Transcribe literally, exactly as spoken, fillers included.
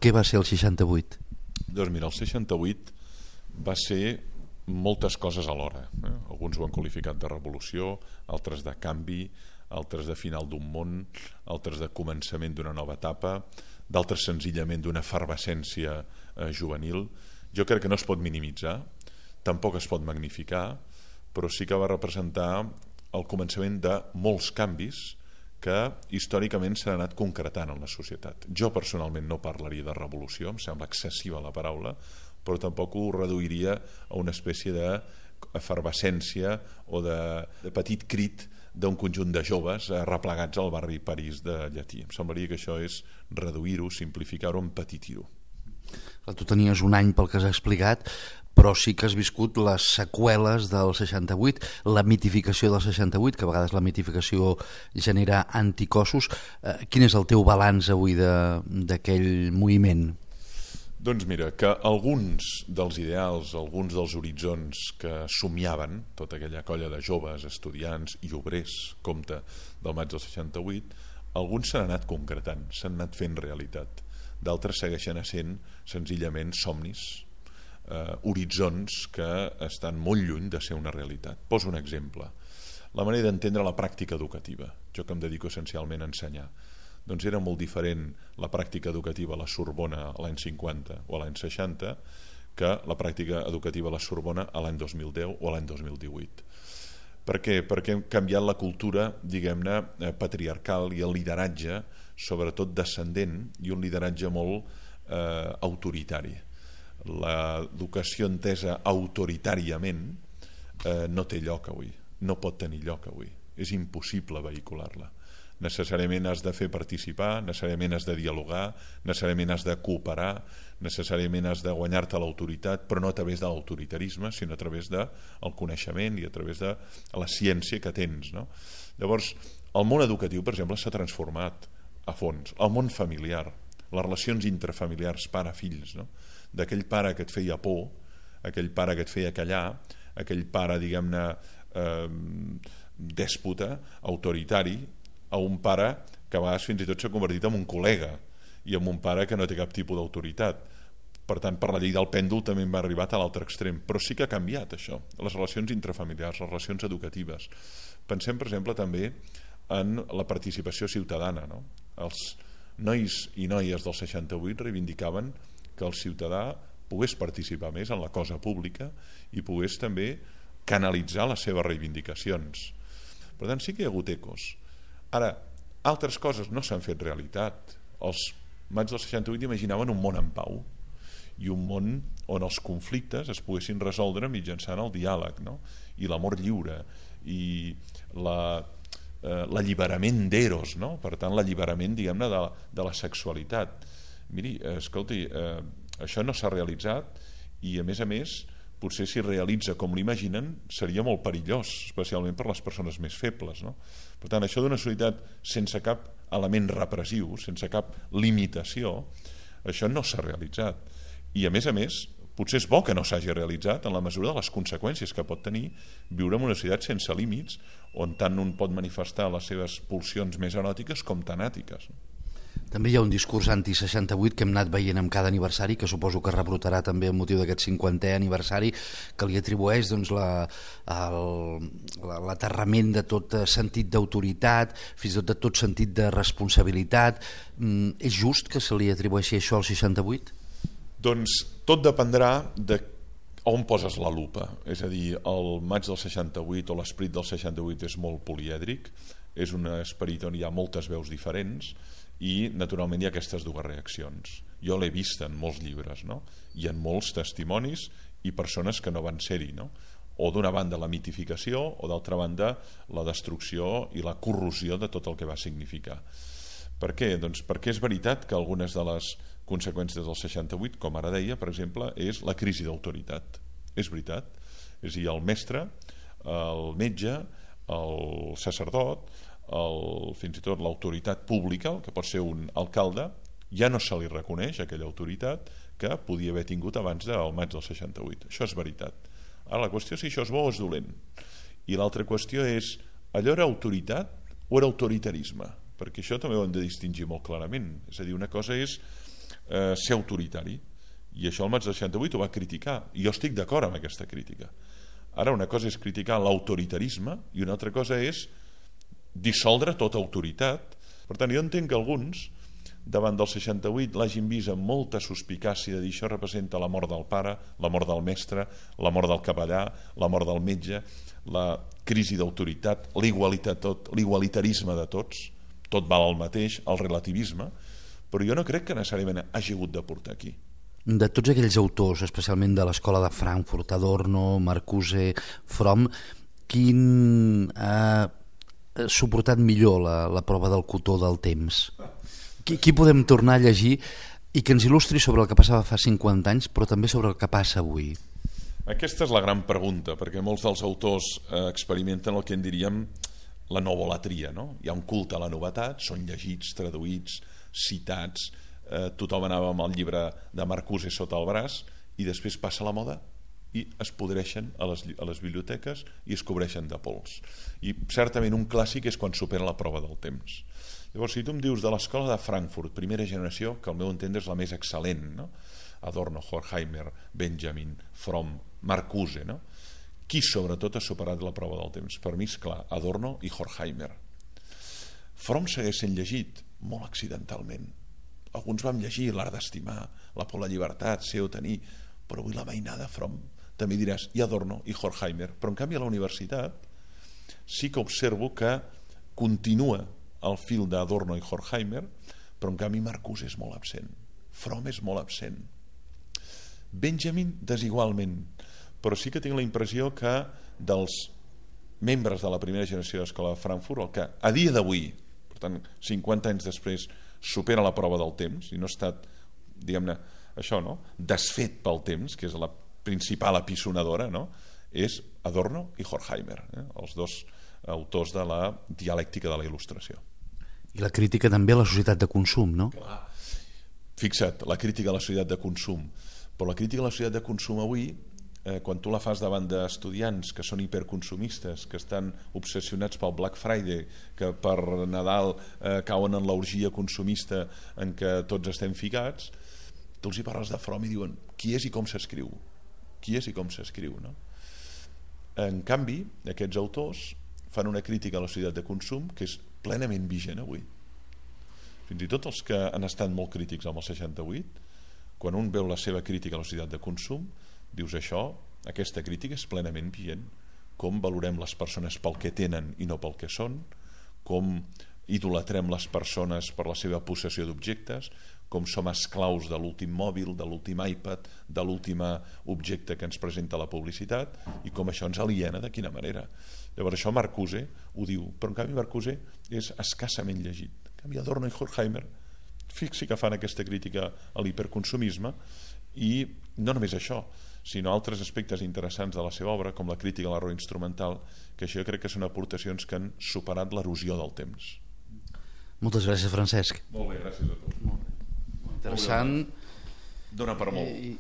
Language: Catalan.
Què va ser el seixanta-vuit? Doncs mira, el seixanta-vuit va ser moltes coses alhora. Eh? Alguns ho han qualificat de revolució, altres de canvi, altres de final d'un món, altres de començament d'una nova etapa, d'altres senzillament d'una efervescència eh, juvenil. Jo crec que no es pot minimitzar, tampoc es pot magnificar, però sí que va representar el començament de molts canvis que històricament s'han anat concretant en la societat. Jo personalment no parlaria de revolució, em sembla excessiva la paraula, però tampoc ho reduiria a una espècie d'efervescència o de, de petit crit d'un conjunt de joves replegats al barri París de Llatí. Em semblaria que això és reduir-ho, simplificar-ho, empetitir-ho. Tu tenies un any pel que has explicat, però sí que has viscut les seqüeles del seixanta-vuit, la mitificació del seixanta-vuit, que a vegades la mitificació genera anticossos. Eh, quin és el teu balanç avui d'aquell moviment? Doncs mira, que alguns dels ideals, alguns dels horitzons que somiaven tota aquella colla de joves, estudiants i obrers, compte del maig del seixanta-vuit, alguns s'han anat concretant, s'han anat fent realitat. D'altres segueixen essent senzillament somnis, eh, horitzons que estan molt lluny de ser una realitat. Poso un exemple. La manera d'entendre la pràctica educativa. Jo que em dedico essencialment a ensenyar. Doncs era molt diferent la pràctica educativa a la Sorbona a l'any cinquanta o a l'any seixanta que la pràctica educativa a la Sorbona a l'any dos mil deu o a l'any dos mil divuit. Per què? Perquè hem canviat la cultura, diguem-ne, patriarcal i el lideratge, sobretot descendent, i un lideratge molt eh, autoritari. L'educació entesa autoritàriament eh, no té lloc avui, no pot tenir lloc avui. És impossible vehicular-la. Necessàriament has de fer participar, necessàriament has de dialogar, necessàriament has de cooperar, necessàriament has de guanyar-te l'autoritat, però no a través de l'autoritarisme, sinó a través del coneixement i a través de la ciència que tens, no? Llavors, el món educatiu, per exemple, s'ha transformat a fons. El món familiar, les relacions intrafamiliars pare-fills, no? D'aquell pare que et feia por, aquell pare que et feia callar, aquell pare, diguem-ne, eh, dèspota, autoritari, a un pare que a vegades fins i tot s'ha convertit en un col·lega i en un pare que no té cap tipus d'autoritat. Per tant, per la llei del pèndol també va arribar a l'altre extrem, però sí que ha canviat això, les relacions intrafamiliars, les relacions educatives. Pensem, per exemple, també en la participació ciutadana, no? Els nois i noies del seixanta-vuit reivindicaven que el ciutadà pogués participar més en la cosa pública i pogués també canalitzar les seves reivindicacions. Per tant, sí que hi ha hagut ecos. Ara, altres coses no s'han fet realitat. Els maig del seixanta-vuit imaginaven un món en pau i un món on els conflictes es poguessin resoldre mitjançant el diàleg, no? I l'amor lliure i la, eh, l'alliberament d'eros, no? Per tant, l'alliberament, diguem-ne, de, de la sexualitat. Miri, escolti, eh, això no s'ha realitzat i, a més a més, potser si realitza com l'imaginen seria molt perillós, especialment per les persones més febles, no? Per tant, això d'una societat sense cap element repressiu, sense cap limitació, això no s'ha realitzat. I a més a més, potser és bo que no s'hagi realitzat en la mesura de les conseqüències que pot tenir viure en una societat sense límits, on tant un pot manifestar les seves pulsions més eròtiques com tanàtiques. També hi ha un discurs anti-seixanta-vuit que hem anat veient amb cada aniversari, que suposo que rebrotarà també amb motiu d'aquest cinquantè aniversari, que li atribueix doncs, la, el, l'aterrament de tot sentit d'autoritat, fins i tot de tot sentit de responsabilitat. Mm, és just que se li atribueixi això al seixanta-vuit? Doncs tot dependrà de on poses la lupa. És a dir, el maig del seixanta-vuit o l'esperit del seixanta-vuit és molt polièdric, és un esperit on hi ha moltes veus diferents, i naturalment hi ha aquestes dues reaccions. Jo l'he vist en molts llibres, no? I en molts testimonis i persones que no van ser-hi, no? O d'una banda la mitificació o d'altra banda la destrucció i la corrosió de tot el que va significar. Per què? Doncs perquè és veritat que algunes de les conseqüències del seixanta-vuit, com ara deia, per exemple, és la crisi d'autoritat. És veritat. És a dir, el mestre, el metge, el sacerdot, el, fins i tot l'autoritat pública, el que pot ser un alcalde, ja no se li reconeix aquella autoritat que podia haver tingut abans del maig del seixanta-vuit. Això és veritat. Ara la qüestió és si això és bo o és dolent. I l'altra qüestió és, allò era autoritat o era autoritarisme? Perquè això també ho hem de distingir molt clarament. És a dir, una cosa és eh, ser autoritari. I això el maig del seixanta-vuit ho va criticar, i jo estic d'acord amb aquesta crítica. Ara una cosa és criticar l'autoritarisme i una altra cosa és dissoldre tota autoritat. Per tant, jo entenc que alguns davant del seixanta-vuit l'hagin vist amb molta suspicàcia de dir això representa la mort del pare, la mort del mestre, la mort del capellà, la mort del metge, la crisi d'autoritat, l'igualitat tot, l'igualitarisme de tots, tot val el mateix, el relativisme, però jo no crec que necessàriament hagi hagut de portar aquí. De tots aquells autors, especialment de l'escola de Frankfurt, Adorno, Marcuse, Fromm, quin ha suportat millor la, la prova del cotó del temps? Qui, qui podem tornar a llegir i que ens il·lustri sobre el que passava fa cinquanta anys, però també sobre el que passa avui? Aquesta és la gran pregunta, perquè molts dels autors eh, experimenten el que en diríem la novolatria, no? Hi ha un culte a la novetat, són llegits, traduïts, citats, eh, tothom anava amb el llibre de Marcuse sota el braç i després passa la moda i es podreixen a les, a les biblioteques i es cobreixen de pols. I certament un clàssic és quan supera la prova del temps. Llavors, si tu em dius de l'escola de Frankfurt, primera generació, que al meu entendre és la més excel·lent, no? Adorno, Horkheimer, Benjamin, Fromm, Marcuse, no? Qui sobretot ha superat la prova del temps? Per mi és clar, Adorno i Horkheimer. Fromm segueix sent llegit molt accidentalment. Alguns vam llegir L'art d'estimar, La por a la llibertat, Ser o tenir, però avui la mainada Fromm també diràs, i Adorno i Horkheimer, però en canvi a la universitat sí que observo que continua el fil d'Adorno i Horkheimer, però en canvi Marcuse és molt absent, Fromm és molt absent, Benjamin desigualment, però sí que tinc la impressió que dels membres de la primera generació de l'escola de Frankfurt, el que a dia d'avui, per tant cinquanta anys després, supera la prova del temps i no ha estat, diguem-ne, això, no? Desfet pel temps, que és la principal apisonadora, no? És Adorno i Horkheimer, eh? Els dos autors de la dialèctica de la il·lustració. I la crítica també a la societat de consum, no? Clar. Fixa't, la crítica a la societat de consum, però la crítica a la societat de consum avui, eh, quan tu la fas davant d'estudiants que són hiperconsumistes, que estan obsessionats pel Black Friday, que per Nadal eh, cauen en l'orgia consumista en què tots estem ficats, tu els hi parles de Fromm i diuen qui és i com s'escriu, qui és i com s'escriu, no? En canvi, aquests autors fan una crítica a la societat de consum que és plenament vigent avui. Fins i tot els que han estat molt crítics amb el seixanta-vuit, quan un veu la seva crítica a la societat de consum, dius això, aquesta crítica és plenament vigent. Com valorem les persones pel que tenen i no pel que són, com idolatrem les persones per la seva possessió d'objectes, com som esclaus de l'últim mòbil, de l'últim iPad, de l'últim objecte que ens presenta la publicitat, i com això ens aliena de quina manera. Llavors això Marcuse ho diu, però en canvi Marcuse és escassament llegit. En canvi Adorno i Horkheimer fixi que fan aquesta crítica a l'hiperconsumisme, i no només això, sinó altres aspectes interessants de la seva obra, com la crítica a l'error instrumental, que això crec que són aportacions que han superat l'erosió del temps. Moltes gràcies, Francesc. Molt bé, gràcies a tots. Molt interessant. Dóna per molt.